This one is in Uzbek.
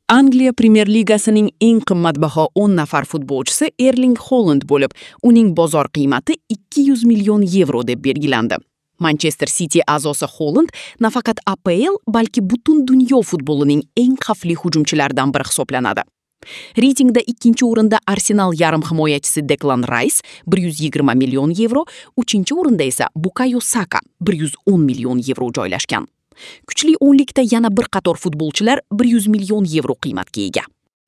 Angliya Premyer Ligasining eng qimmatbaho 10 nafar futbolchisi Erling Holand bo'lib, uning bozor qiymati 200 million yevro deb belgilandi. Manchester City a'zosi Holand nafaqat APL, balki butun dunyo futbolining eng xavfli hujumchilaridan biri hisoblanadi. Reytingda ikkinchi o'rinda Arsenal yarim himoyachisi Deklan Rice 120 million yevro, uchinchi o'rinda esa Bukayo Saka 110 million yevro joylashgan. Kuchli o'nlikda yana bir qator futbolchilar 100 million yevro qiymatga ega.